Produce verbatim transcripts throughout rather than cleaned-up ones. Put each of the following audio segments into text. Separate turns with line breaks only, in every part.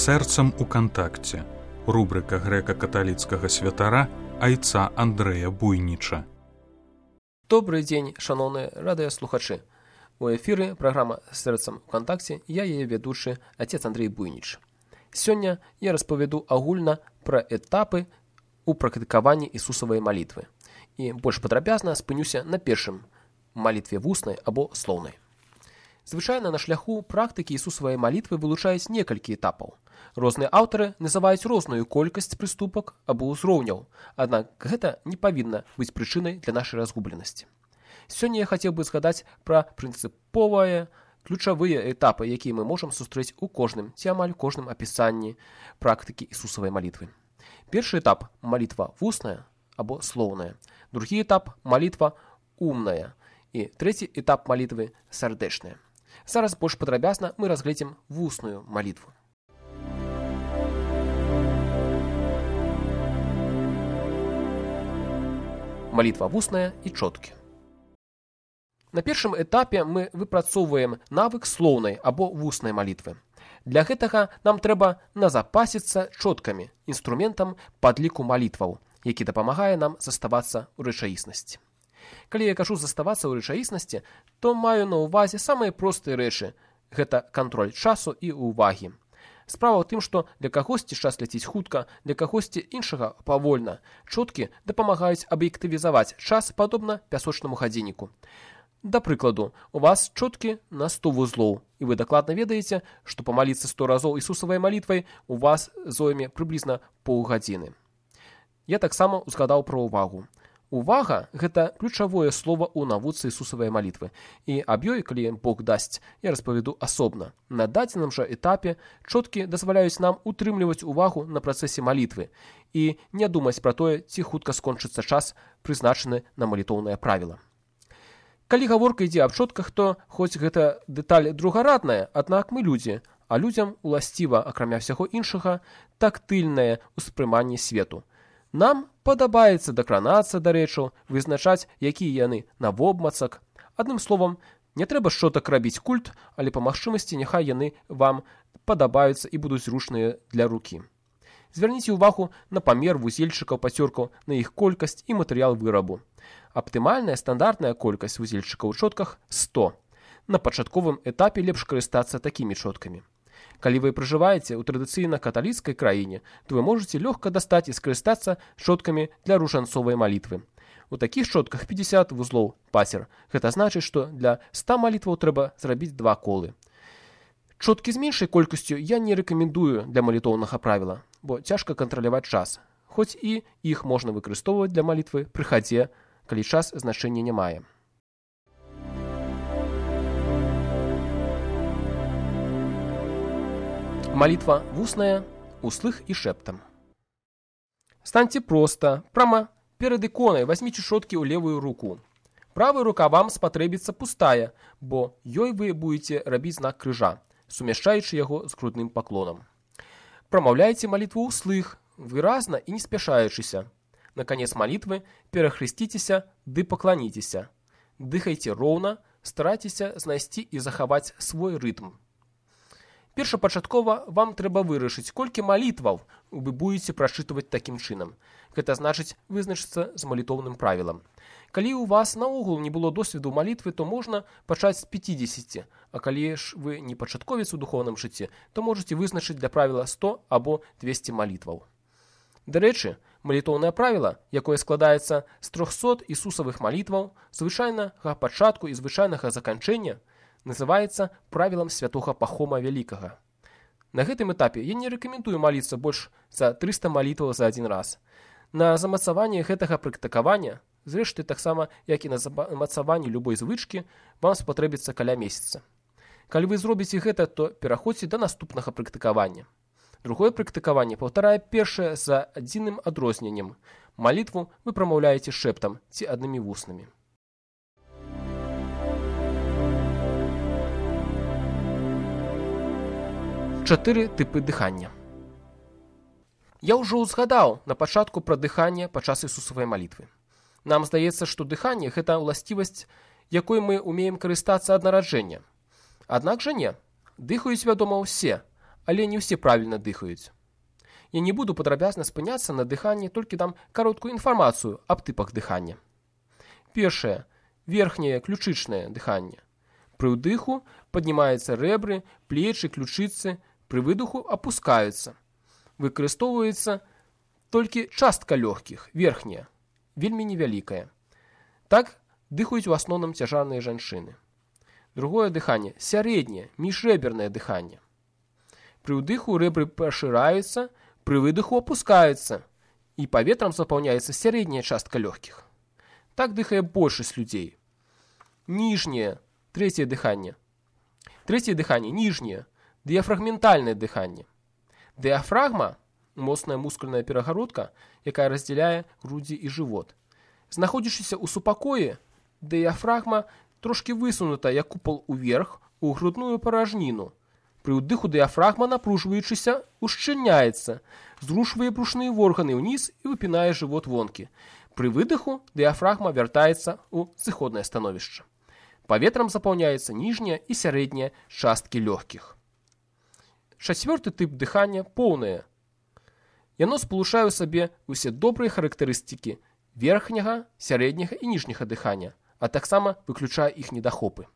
Сэрцам у кантакце. Рубрика грэка-каталіцкага святара айца Андрэя Буйніча.
Добрый дзень, шаноўныя радыёслухачы. У эфіры праграма «Сэрцам у кантакце», я яе вядучы отец Андрей Буйніч. Сёння я распавяду агульна пра этапы у практыкаванні Ісусавай малітвы. І больш падрабязна спынюся на першым малітве вуснай або слоўнай. Звычайна на шляху практыкі Ісусавай малітвы вылучаюць некалькі этапаў. Розныя аўтары называюць розную колькасць прыступак або ўзроўняў, аднак гэта не павінна быць прычынай для нашай разгубленасці. Сёння я хацеў бы згадаць пра прынцыповыя, ключавыя этапы, якія мы можам сустрэць у кожным ці амаль кожным апісанні практыкі Ісусавай малітвы. Першы этап – малітва вусная або слоўная. Другі этап – малітва умная. І трэці этап малітвы – сардэчная. Зараз больш падрабязна мы разгледзім вусную малітву. Малітва вусная і чоткі. На першым этапе мы выпрацоўваем навык слоўнай або вуснай малітвы. Для гэтага нам трэба назапасіцца чоткамі, інструментам падліку малітваў, які дапамагае нам заставацца ў рэчаіснасці. Калі я кажу заставацца ў рэчаіснасці, то маю на ўвазе самыя простыя рэчы. Гэта кантроль часу і ўвагі. Справа ў тым, што для кагосьці час ляціць хутка, для кагосьці іншага павольна. Чоткі дапамагаюць аб'ектывізаваць час падобна пясочнаму гадзінніку. Да прыкладу, у вас чоткі на сто вузлоў, і вы дакладна ведаеце, што памаліцца сто разоў Ісусавай малітвай у вас зойме прыблізна паўгадзіны. Я таксама узгадаў пра ўвагу. Увага – гэта ключавое слова ў навуцы Ісусавай малітвы. І аб ёй, калі Бог дасць, я распавяду асобна. На дадзеным жа этапе чоткі дазваляюць нам утрымліваць увагу на працэсе малітвы і не думаць пра тое, ці хутка скончыцца час, прызначаны на малітоўнае правіла. Калі гаворка ідзе аб чотках, то хоць гэта дэталь другарадная, аднак мы людзі, а людзям уласціва, акрамя ўсяго іншага, тактыльнае ўспрыманне свету. Нам падабаецца дакранацца да рэчаў, вызначаць, якія яны навобмацак. Адным словам, не трэба шчотак рабіць культ, але па магчымасці няхай яны вам падабаюцца і будуць зручныя для рукі. Звярніце ўвагу на памер вузельчыкаў пацёркаў, на іх колькасць і матэрыял вырабу. Аптымальная стандартная колькасць вузельчыкаў у чотках – сто. На пачатковым этапе лепш карыстацца такімі чоткамі. Калі вы пражываеце ў традыцыйна-каталіцкай краіне, то вы можаце лёгка дастаць і скарыстацца чоткамі для ружанцовай малітвы. У такіх чотках пятьдесят вузлоў пацер. Гэта значыць, што для ста малітваў трэба зрабіць два колы. Чоткі з меншай колькасцю я не рэкамендую для малітоўнага правіла, бо цяжка кантраляваць час, хоць і іх можна выкарыстоўваць для малітвы пры хадзе, калі час значэння не мае. Малітва вусная, услых і шэптам. Станьце проста, прама перад іконай вазьміце чоткі ў левую руку. Правая рука вам спатрэбіцца пустая, бо ёй вы будете рабіць знак крыжа, сумяшчаючы яго з грудным паклонам. Прамаўляйце малітву ўслых, выразна і не спяшаючыся. На канец малітвы перахрысціцеся ды пакланіцеся. Дыхайце роўна, старайцеся знайсці і захаваць свой рытм. Першапачаткова вам трэба вырашыць, колькі малітваў вы будете прачытваць такім чынам. Гэта значыць вызначыцца з малітоўным правілам. Калі ў вас наогул не было досведу малітвы, то можна пачаць з пятидесяти, а калі ж вы не пачатковец у духоўным жыцці, то можаце вызначыць для правіла сто або двесце малітваў. Дарэчы, малітоўнае правіла, якое складаецца з трохсот Ісусавых малітваў, звычайнага пачатку і звычайнага заканчэння, называецца правілам святога Пахома Вялікага. На гэтым этапе я не рэкамендую маліцца больш за трыста малітваў за адзін раз. На замацаванне гэтага практыкавання, зрэшты таксама, як і на замацаванне любой звычкі, вам спатрэбіцца каля месяца. Калі вы зробіце гэта, то пераходзьце да наступнага практыкавання. Другое практыкаванне паўтарае першае за адзіным адрозненнем. Малітву вы прамаўляеце шэптам ці аднымі вуснамі. Чатыры тыпы дыхання. Я ўжо ўзгадаў на пачатку пра дыханне падчас Ісусавай малітвы. Нам здаецца, што дыханне – гэта ўласцівасць, якой мы умеем карыстацца ад нараджэння. Аднак жа не. Дыхаюць, вядома, усе, але не ўсе правільна дыхаюць. Я не буду падрабязна спыняцца на дыханні, толькі дам кароткую інфармацыю аб тыпах дыхання. Першае. Верхняе ключычнае дыханне. Пры ўдыху паднімаюцца рэбры, плечы, ключыцы, пры выдыху апускаюцца. Выкарыстоўваецца толькі частка лёгкіх, верхняя, вельмі невялікая. Так дыхаюць у асноўным цяжарныя жанчыны. Другое дыханне – сярэдняе, міжрэбернае дыханне. Пры ўдыху рэбры пашыраюцца, пры выдыху апускаюцца, і паветрам запаўняецца сярэдняя частка лёгкіх. Так дыхае большасць людзей. Ніжняе, трэцяе дыханне. Трэцяе дыханне, ніжняе, дыяфрагментальнае дыханне. Дыяфрагма – моцная мускульная перагародка, якая раздзяляе грудзі і жывот. Знаходзячыся ў супакоі, дыяфрагма трошкі высунута, як купал уверх, у грудную паражніну. Пры ўдыху дыяфрагма, напружваючыся, ушчыльняецца, зрушвае брушныя органы ўніз і выпінае жывот вонкі. Пры выдыху дыяфрагма вяртаецца ў зыходнае становішча. Паветрам запаўняецца ніжняя і сярэдняя часткі лёгкіх. Чацвёрты тып дыхання – поўнае. Яно спалучае ў сабе ўсе добрыя характарыстыкі верхняга, сярэдняга і ніжняга дыхання, а таксама выключае іх недахопы.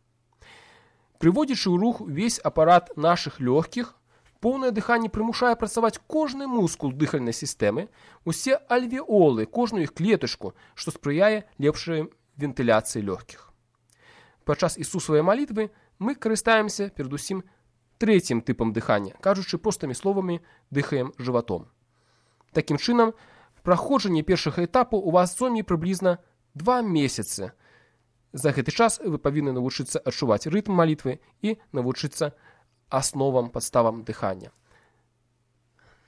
Прыводзячы ў рух увесь апарат нашых лёгкіх, поўнае дыханне прымушае працаваць кожны мускул дыхальнай сістэмы, усе альвеолы, кожную іх клетачку, што спрыяе лепшай вентыляцыі лёгкіх. Падчас Ісусавай малітвы мы карыстаемся перадусім трэцім тыпам дыхання, кажучы простымі словамі, дыхаем жыватом. Такім чынам, праходжанне першага этапу у вас зойме прыблізна два месяцы. За гэты час вы павінны навучыцца адчуваць рытм малітвы і навучыцца асновам, падставам дыхання.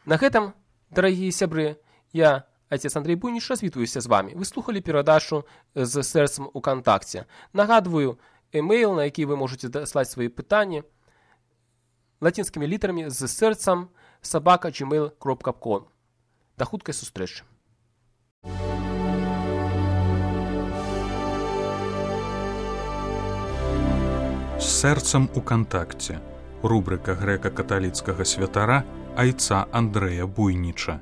На гэтым, дарагія сябры, я, отец Андрей Буйніч, развітваюся з вами. Вы слухалі перадачу з сэрцам у кантакце. Нагадваю, емейл, на які вы можете даслаць свае пытанні, лацінскімі літарамі з сэрцам сабака джимейл кропка ком. Да хуткай сустрэчы.
З сэрцам у кантакце. Рубрика грэка-каталіцкага святара айца Андрэя Буйніча.